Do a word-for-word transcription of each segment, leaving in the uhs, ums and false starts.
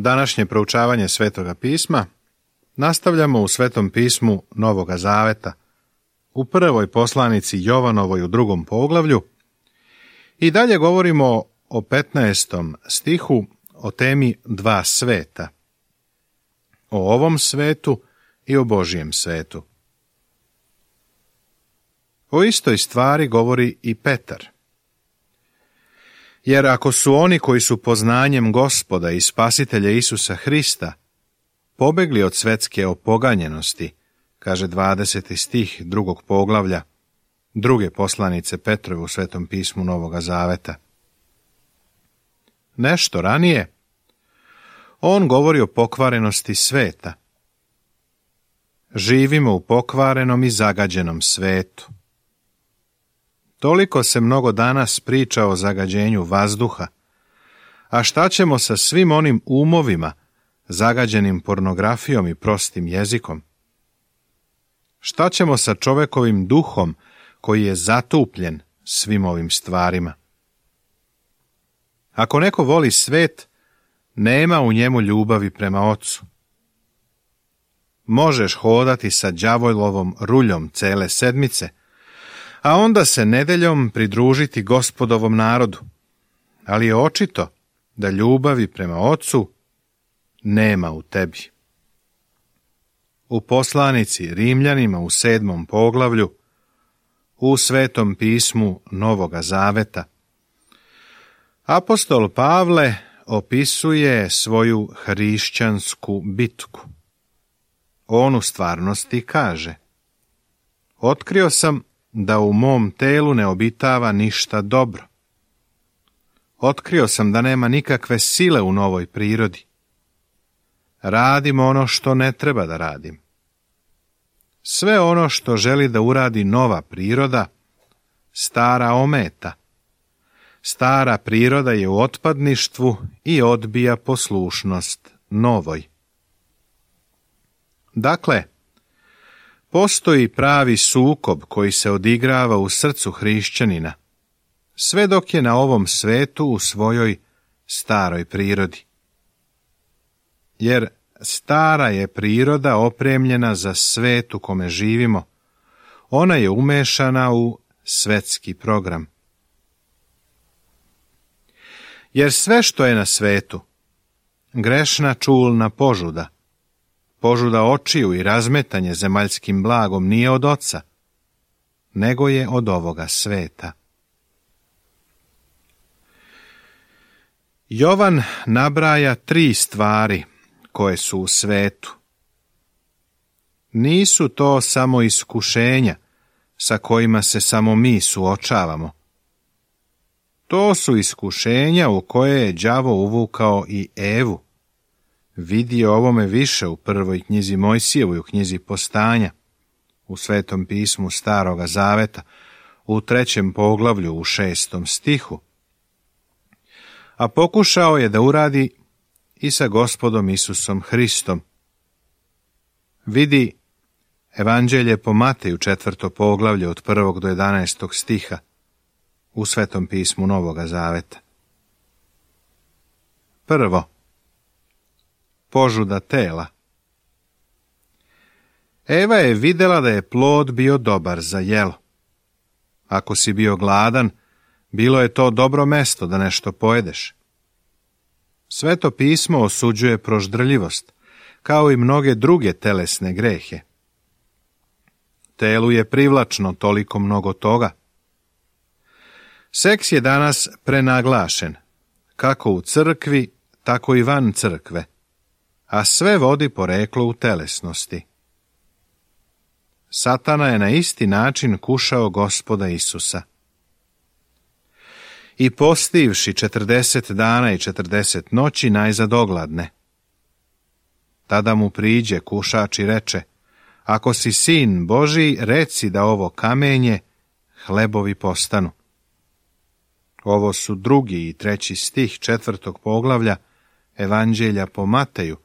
Današnje proučavanje Svetoga pisma nastavljamo u Svetom pismu Novoga Zaveta, u prvoj poslanici Jovanovoj u drugom poglavlju i dalje govorimo o petnaestom stihu o temi dva sveta, o ovom svetu i o Božjem svetu. O istoj stvari govori i Petar. Jer ako su oni koji su poznanjem Gospoda i Spasitelja Isusa Hrista pobegli od svetske opoganjenosti, kaže dvadeseti stih drugog poglavlja, druge poslanice Petrove u Svetom pismu Novoga Zaveta. Nešto ranije, on govori o pokvarenosti sveta. Živimo u pokvarenom i zagađenom svetu. Toliko se mnogo danas priča o zagađenju vazduha, a šta ćemo sa svim onim umovima zagađenim pornografijom i prostim jezikom? Šta ćemo sa čovekovim duhom koji je zatupljen svim ovim stvarima? Ako neko voli svet, nema u njemu ljubavi prema Ocu. Možeš hodati sa đavolovom ruljom cele sedmice, a onda se nedeljom pridružiti Gospodovom narodu, ali je očito da ljubavi prema Ocu nema u tebi. U poslanici Rimljanima u sedmom poglavlju, u Svetom pismu Novoga Zaveta, apostol Pavle opisuje svoju hrišćansku bitku. On u stvarnosti kaže: otkrio sam da u mom telu ne obitava ništa dobro. Otkrio sam da nema nikakve sile u novoj prirodi. Radim ono što ne treba da radim. Sve ono što želi da uradi nova priroda, stara ometa. Stara priroda je u otpadništvu i odbija poslušnost novoj. Dakle, postoji pravi sukob koji se odigrava u srcu hrišćanina, sve dok je na ovom svetu u svojoj staroj prirodi. Jer stara je priroda opremljena za svet u kome živimo, ona je umešana u svetski program. Jer sve što je na svetu, grešna čulna požuda, požuda očiju i razmetanje zemaljskim blagom nije od Oca, nego je od ovoga sveta. Jovan nabraja tri stvari koje su u svetu. Nisu to samo iskušenja sa kojima se samo mi suočavamo. To su iskušenja u koje je đavo uvukao i Evu. Vidi o ovome više u prvoj knjizi Mojsijevoj, u knjizi Postanja, u Svetom pismu Staroga Zaveta, u trećem poglavlju, u šestom stihu. A pokušao je da uradi i sa Gospodom Isusom Hristom. Vidi Evanđelje po Mateju, četvrto poglavlje, od prvog do jedanaestog stiha, u Svetom pismu Novoga Zaveta. Prvo, požuda tela. Eva je vidjela da je plod bio dobar za jelo. Ako si bio gladan, bilo je to dobro mesto da nešto pojedeš. Sveto pismo osuđuje proždrljivost, kao i mnoge druge telesne grehe. Telu je privlačno toliko mnogo toga. Seks je danas prenaglašen, kako u crkvi, tako i van crkve, a sve vodi poreklo u telesnosti. Satana je na isti način kušao Gospoda Isusa. I postivši četrdeset dana i četrdeset noći najzad ogladne. Tada mu priđe kušač i reče: ako si sin Božji, reci da ovo kamenje hlebovi postanu. Ovo su drugi i treći stih četvrtog poglavlja Evanđelja po Mateju,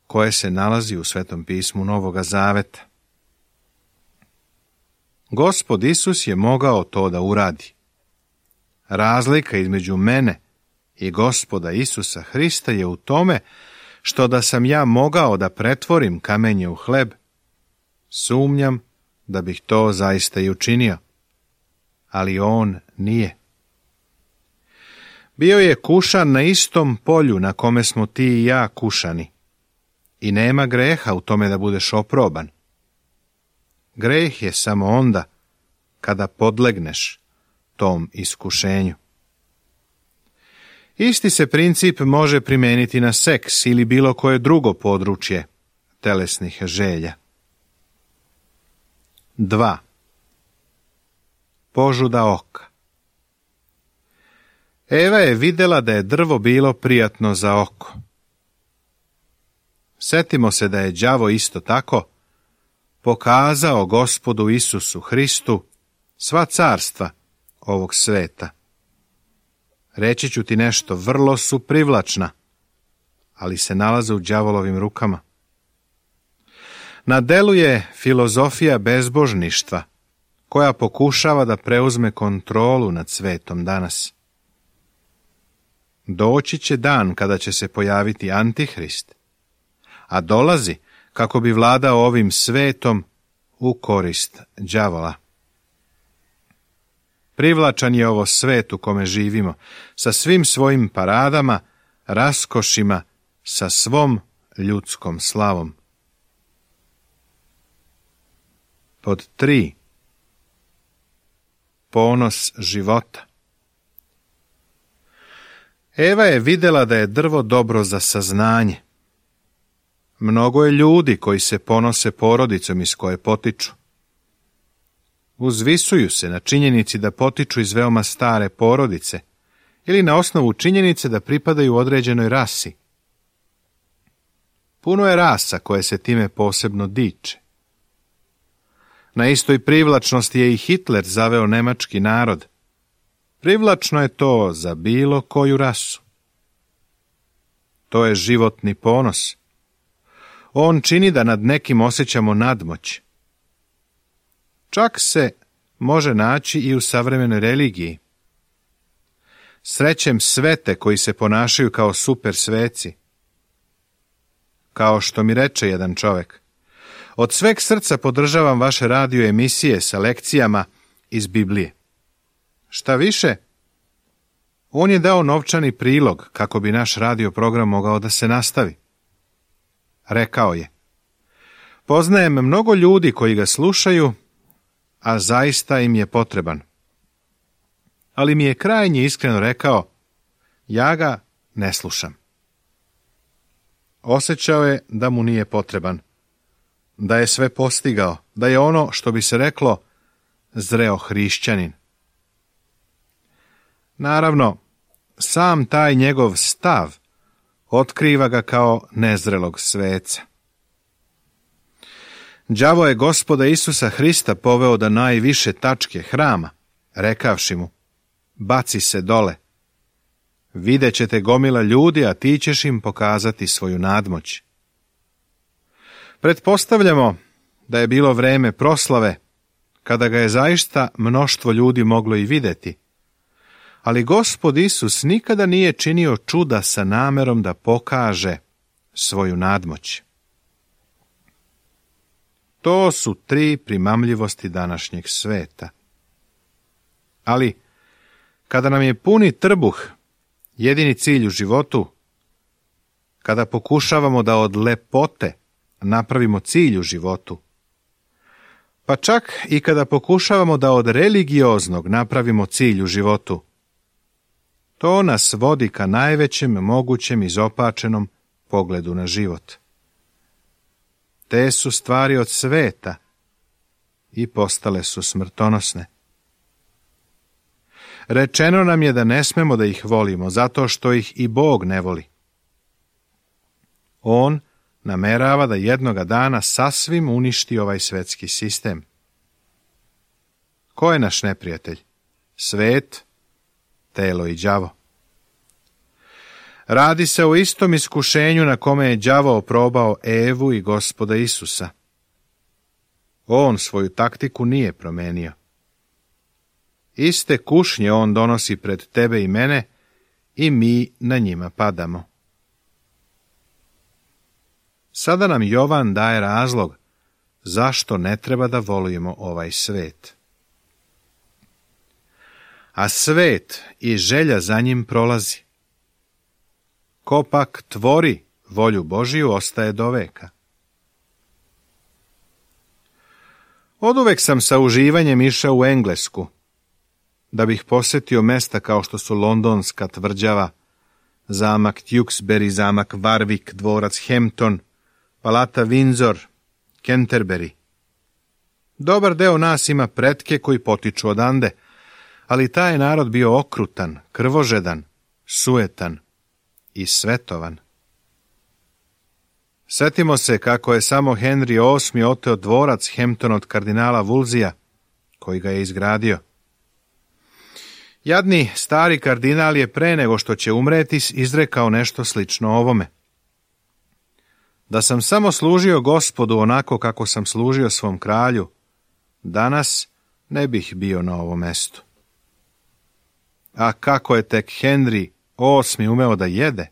koje se nalazi u Svetom pismu Novoga Zaveta. Gospod Isus je mogao to da uradi. Razlika između mene i Gospoda Isusa Hrista je u tome što da sam ja mogao da pretvorim kamenje u hleb, sumnjam da bih to zaista i učinio, ali on nije. Bio je kušan na istom polju na kome smo ti i ja kušani, i nema greha u tome da budeš oproban. Greh je samo onda kada podlegneš tom iskušenju. Isti se princip može primijeniti na seks ili bilo koje drugo područje telesnih želja. dva. Požuda oka. Eva je vidjela da je drvo bilo prijatno za oko. Setimo se da je đavo isto tako pokazao Gospodu Isusu Hristu sva carstva ovog sveta. Reći ću ti nešto, vrlo su privlačna, ali se nalaze u đavolovim rukama. Na delu je filozofija bezbožništva, koja pokušava da preuzme kontrolu nad svetom danas. Doći će dan kada će se pojaviti Antihrist, a dolazi kako bi vladao ovim svetom u korist đavola. Privlačan je ovo svet u kome živimo, sa svim svojim paradama, raskošima, sa svom ljudskom slavom. Pod tri. Ponos života. Eva je vidjela da je drvo dobro za saznanje. Mnogo je ljudi koji se ponose porodicom iz koje potiču. Uzvisuju se na činjenici da potiču iz veoma stare porodice ili na osnovu činjenice da pripadaju određenoj rasi. Puno je rasa koje se time posebno diče. Na istoj privlačnosti je i Hitler zaveo nemački narod. Privlačno je to za bilo koju rasu. To je životni ponos. On čini da nad nekim osjećamo nadmoć. Čak se može naći i u savremenoj religiji. Srećem svete koji se ponašaju kao super sveci. Kao što mi reče jedan čovjek, od sveg srca podržavam vaše radio emisije sa lekcijama iz Biblije. Šta više, on je dao novčani prilog kako bi naš radio program mogao da se nastavi. Rekao je, poznajem mnogo ljudi koji ga slušaju, a zaista im je potreban. Ali mi je krajnje iskreno rekao, ja ga ne slušam. Osjećao je da mu nije potreban, da je sve postigao, da je ono što bi se reklo zreo hrišćanin. Naravno, sam taj njegov stav otkriva ga kao nezrelog sveca. Đavo je Gospoda Isusa Hrista poveo do najviše tačke hrama, rekavši mu, baci se dole. Vidjet ćete gomila ljudi, a ti ćeš im pokazati svoju nadmoć. Pretpostavljamo da je bilo vreme proslave, kada ga je zaista mnoštvo ljudi moglo i vidjeti. Ali Gospod Isus nikada nije činio čuda sa namerom da pokaže svoju nadmoć. To su tri primamljivosti današnjeg sveta. Ali, kada nam je puni trbuh jedini cilj u životu, kada pokušavamo da od lepote napravimo cilj u životu, pa čak i kada pokušavamo da od religioznog napravimo cilj u životu, to nas vodi ka najvećem mogućem izopačenom pogledu na život. Te su stvari od sveta i postale su smrtonosne. Rečeno nam je da ne smemo da ih volimo, zato što ih i Bog ne voli. On namerava da jednoga dana sasvim uništi ovaj svetski sistem. Ko je naš neprijatelj? Svet, telo i đavo. Radi se o istom iskušenju na kome je đavo oprobao Evu i Gospoda Isusa. On svoju taktiku nije promenio. Iste kušnje on donosi pred tebe i mene i mi na njima padamo. Sada nam Jovan daje razlog zašto ne treba da volimo ovaj svet. A svet i želja za njim prolazi. Ko pak tvori volju Božiju ostaje do veka. Oduvek sam sa uživanjem išao u Englesku, da bih posjetio mesta kao što su Londonska tvrđava, zamak Tewkesbury, zamak Warwick, dvorac Hampton, palata Windsor, Canterbury. Dobar deo nas ima pretke koji potiču odande, ali taj je narod bio okrutan, krvožedan, sujetan i svetovan. Sjetimo se kako je samo Henry osmi oteo dvorac Hampton od kardinala Wolseya, koji ga je izgradio. Jadni stari kardinal je pre nego što će umreti izrekao nešto slično ovome. Da sam samo služio Gospodu onako kako sam služio svom kralju, danas ne bih bio na ovom mestu. A kako je tek Henry osmi umeo da jede?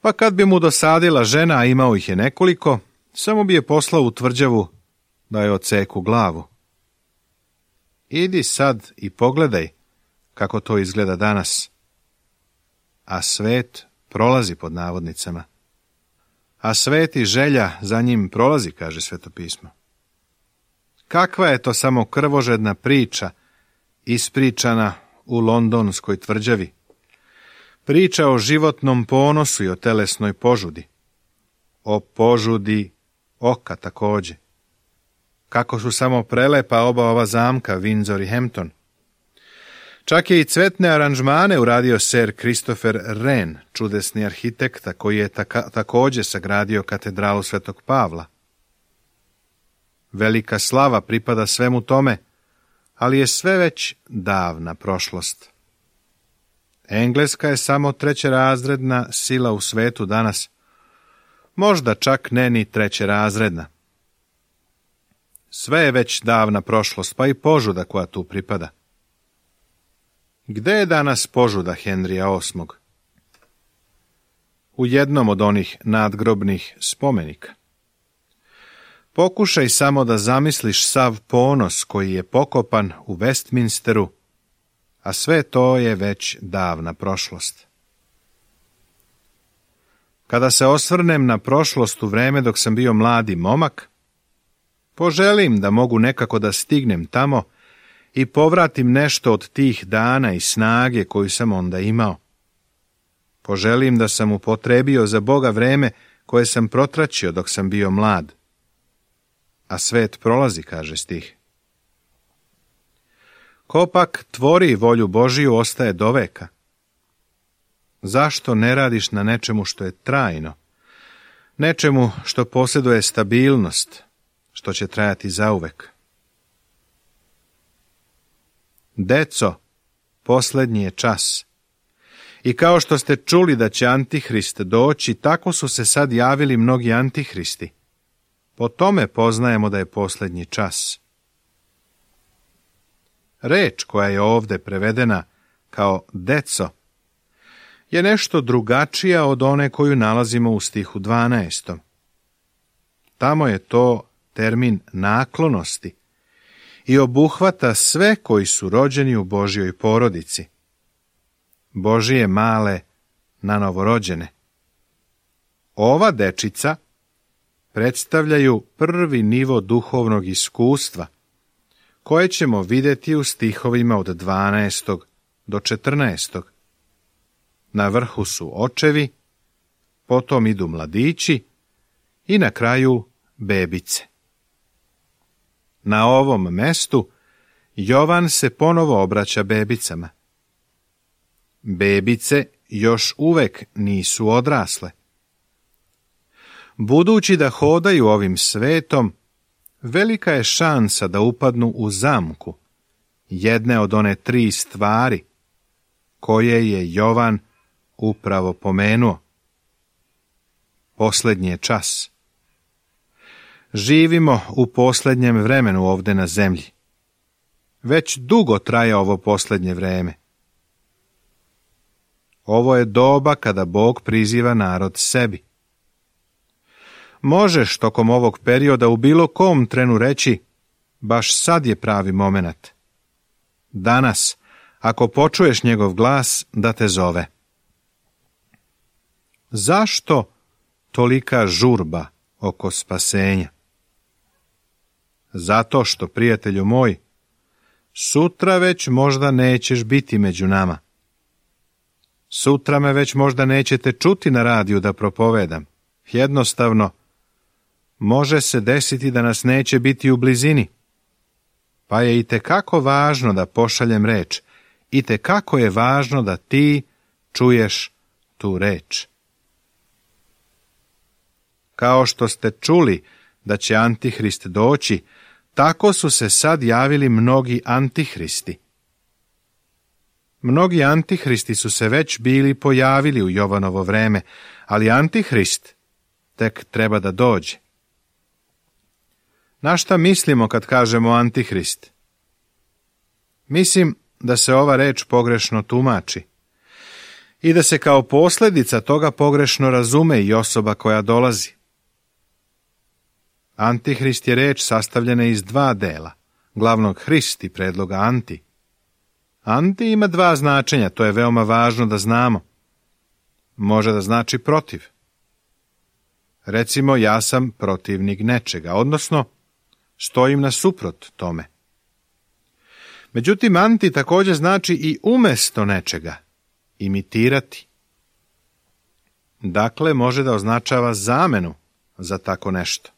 Pa kad bi mu dosadila žena, a imao ih je nekoliko, samo bi je poslao u tvrđavu da je odseku glavu. Idi sad i pogledaj kako to izgleda danas. A svet prolazi pod navodnicama. A svet i želja za njim prolazi, kaže Sveto pismo. Kakva je to samo krvožedna priča ispričana u londonskoj tvrđavi? Priča o životnom ponosu i o telesnoj požudi. O požudi oka također. Kako su samo prelepa oba ova zamka, Windsor i Hampton. Čak je i cvetne aranžmane uradio Sir Christopher Wren, čudesni arhitekta koji je taka, također sagradio katedralu Svetog Pavla. Velika slava pripada svemu tome, ali je sve već davna prošlost. Engleska je samo trećerazredna sila u svetu danas, možda čak ne ni trećerazredna. Sve je već davna prošlost, pa i požuda koja tu pripada. Gde je danas požuda Henrija osmog? U jednom od onih nadgrobnih spomenika. Pokušaj samo da zamisliš sav ponos koji je pokopan u Westminsteru, a sve to je već davna prošlost. Kada se osvrnem na prošlost u vreme dok sam bio mladi momak, poželim da mogu nekako da stignem tamo i povratim nešto od tih dana i snage koju sam onda imao. Poželim da sam upotrebio za Boga vreme koje sam protraćio dok sam bio mlad. A svet prolazi, kaže stih. Ko pak tvori volju Božiju ostaje do veka. Zašto ne radiš na nečemu što je trajno? Nečemu što posjeduje stabilnost, što će trajati zauvek. Deco, posljednji je čas. I kao što ste čuli da će Antihrist doći, tako su se sad javili mnogi antihristi. Po tome poznajemo da je posljednji čas. Reč koja je ovdje prevedena kao deco je nešto drugačija od one koju nalazimo u stihu dvanaestom. Tamo je to termin naklonosti i obuhvata sve koji su rođeni u Božjoj porodici. Božije male na novorođene. Ova dečica predstavljaju prvi nivo duhovnog iskustva, koje ćemo vidjeti u stihovima od dvanaestog do četrnaestog. Na vrhu su očevi, potom idu mladići i na kraju bebice. Na ovom mestu Jovan se ponovo obraća bebicama. Bebice još uvek nisu odrasle. Budući da hodaju ovim svetom, velika je šansa da upadnu u zamku, jedne od one tri stvari koje je Jovan upravo pomenuo. Posljednji je čas. Živimo u posljednjem vremenu ovdje na zemlji. Već dugo traje ovo posljednje vreme. Ovo je doba kada Bog priziva narod sebi. Možeš tokom ovog perioda u bilo kom trenu reći, baš sad je pravi momenat. Danas, ako počuješ njegov glas, da te zove. Zašto tolika žurba oko spasenja? Zato što, prijatelju moj, sutra već možda nećeš biti među nama. Sutra me već možda nećete čuti na radiju da propovedam. Jednostavno, može se desiti da nas neće biti u blizini. Pa je itekako važno da pošaljem reč. Itekako je važno da ti čuješ tu reč. Kao što ste čuli da će Antihrist doći, tako su se sad javili mnogi antihristi. Mnogi antihristi su se već bili pojavili u Jovanovo vreme, ali Antihrist tek treba da dođe. Na šta mislimo kad kažemo Antihrist? Mislim da se ova reč pogrešno tumači i da se kao posljedica toga pogrešno razume i osoba koja dolazi. Antihrist je reč sastavljena iz dva dela, glavnog Hrist i predloga anti. Anti ima dva značenja, to je veoma važno da znamo. Može da znači protiv. Recimo, ja sam protivnik nečega, odnosno stojim nasuprot tome. Međutim, anti također znači i umjesto nečega, imitirati. Dakle, može da označava zamenu za tako nešto.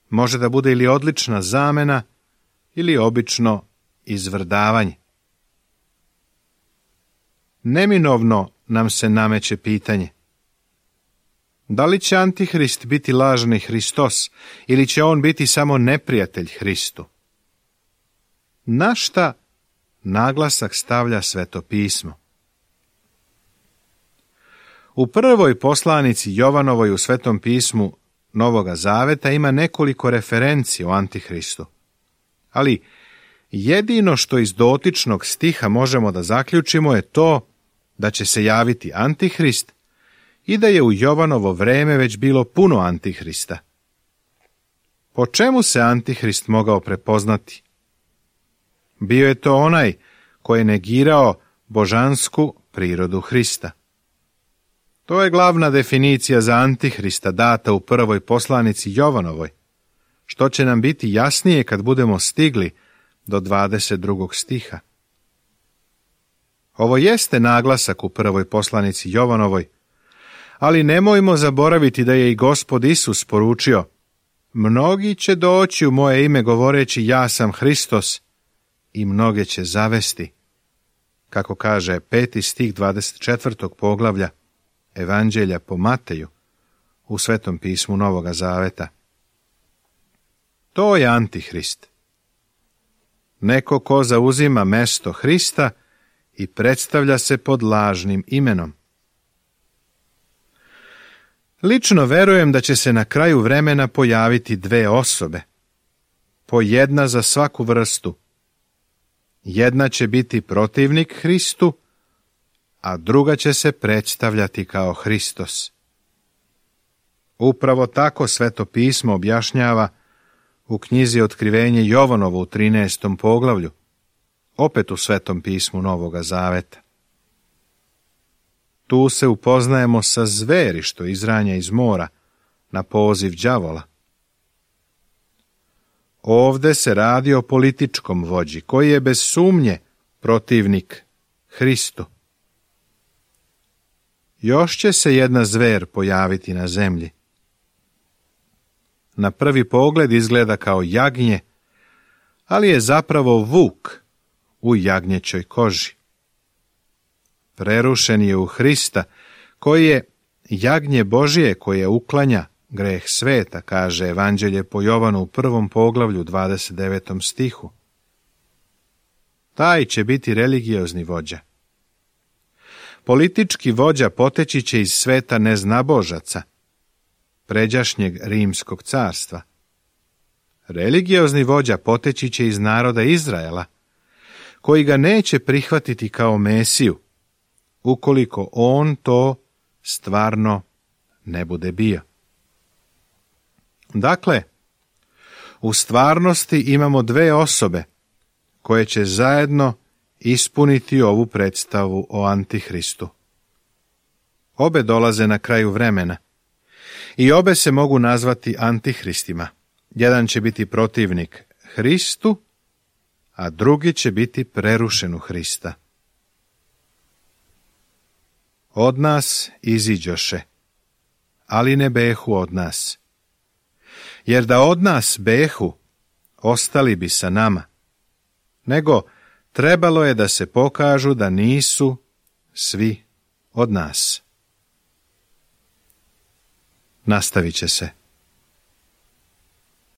Može da bude ili odlična zamena, ili obično izvrdavanje. Neminovno nam se nameće pitanje: da li će Antihrist biti lažni Hristos ili će on biti samo neprijatelj Hristu? Na šta naglasak stavlja Sveto pismo? U prvoj poslanici Jovanovoj u Svetom pismu Novoga Zaveta ima nekoliko referenci o Antihristu, ali jedino što iz dotičnog stiha možemo da zaključimo je to da će se javiti Antihrist i da je u Jovanovo vreme već bilo puno Antihrista. Po čemu se Antihrist mogao prepoznati? Bio je to onaj koji je negirao božansku prirodu Hrista. To je glavna definicija za Antihrista data u prvoj poslanici Jovanovoj, što će nam biti jasnije kad budemo stigli do dvadeset drugog stiha. Ovo jeste naglasak u prvoj poslanici Jovanovoj, ali nemojmo zaboraviti da je i Gospod Isus poručio: mnogi će doći u moje ime govoreći ja sam Hristos i mnoge će zavesti, kako kaže peti stih dvadeset četvrtog poglavlja Evanđelja po Mateju u Svetom pismu Novoga Zaveta. To je Antihrist. Neko ko zauzima mesto Hrista i predstavlja se pod lažnim imenom. Lično verujem da će se na kraju vremena pojaviti dve osobe, po jedna za svaku vrstu. Jedna će biti protivnik Hristu, a druga će se predstavljati kao Hristos. Upravo tako Sveto pismo objašnjava u knjizi Otkrivenje Jovanovo u trinaestom poglavlju, opet u Svetom pismu Novoga Zaveta. Tu se upoznajemo sa zveri što izranja iz mora na poziv đavola. Ovde se radi o političkom vođi koji je bez sumnje protivnik Hristu. Još će se jedna zver pojaviti na zemlji. Na prvi pogled izgleda kao jagnje, ali je zapravo vuk u jagnjećoj koži. Prerušen je u Hrista, koji je jagnje Božije koje uklanja greh sveta, kaže Evanđelje po Jovanu u prvom poglavlju dvadeset devetom stihu. Taj će biti religiozni vođa. Politički vođa poteći će iz sveta neznabožaca, pređašnjeg rimskog carstva. Religiozni vođa poteći će iz naroda Izraela, koji ga neće prihvatiti kao Mesiju, ukoliko on to stvarno ne bude bio. Dakle, u stvarnosti imamo dve osobe koje će zajedno ispuniti ovu predstavu o Antihristu. Obe dolaze na kraju vremena i obe se mogu nazvati Antihristima. Jedan će biti protivnik Hristu, a drugi će biti prerušen u Hrista. Od nas iziđoše, ali ne behu od nas. Jer da od nas behu, ostali bi sa nama, nego trebalo je da se pokažu da nisu svi od nas. Nastavit će se.